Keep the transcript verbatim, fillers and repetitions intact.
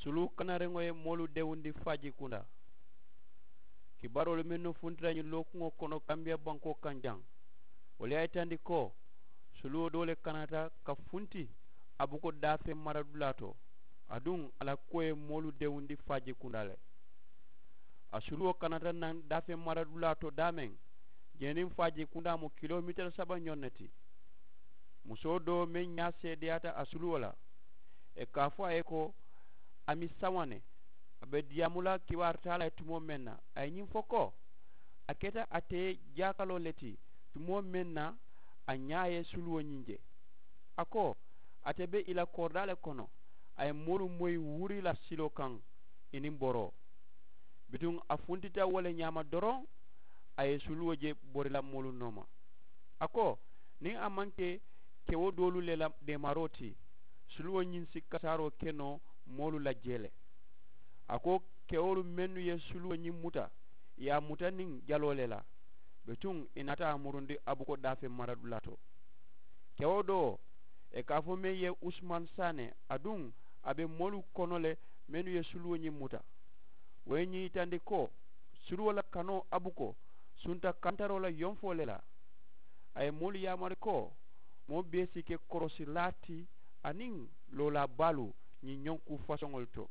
Suluwo kanariŋo ye moolu dewundi faaji kundaa. Kibaaroolu mennu funtita ñiŋ lookuŋo kono kambiya bankoo kaŋ jaŋ, wolu ye a yitandi ko suluwo doo le kanata ka funti a buko daafeŋ maradulaa to. Aduŋ a la kuwo ye moolu dewundi faaji kundaa le. A suluwo kanata naŋ daafeŋ maradulaa to daameŋ, jee niŋ faaji kundaa mu kilomitera saba ñoŋ ne ti. Musoo doo meŋ ñaa seedeyaata a suluwo la, ì ka a fo a ye ko a mi saŋo ne, a be diyaamu la kibaari taa la ye tumoo meŋ na, a ye ñiŋ fo ko a keta ate ye jaakaloo le ti tumoo meŋ na a ñaa ye suluwo ñiŋ je. A ko ate be ì la koridaa le kono, a ye moolu moyi wuri la siloo kaŋ ì niŋ boroo. Bituŋ a funtita wo le ñaama doroŋ, a ye suluwo je bori la moolu nooma. A ko niŋ a maŋ ke kewo doolu le la deemaroo ti, suluwo ñiŋ si kasaaroo ke noo moolu la jee le. A ko kewolu mennu ye suluwo ñiŋ muta, ì ye a muta niŋ jaloo le la. Bituŋ ì naata a murundi a buko daafeŋ maradulaa to. Kewo doo ì ka a fo meŋ ye usumaani saane, aduŋ a be moolu kono le mennu ye suluwo ñiŋ muta. Wo ye ñiŋ yitandi ko suluwo la kanoo a buko sunta kantaroo la yonfoo le la. A ye moolu yaamari ko moo bee si ke korosilaa ti aniŋ loolaa baalu ñiŋ ñoŋ kuu fasoŋolu to.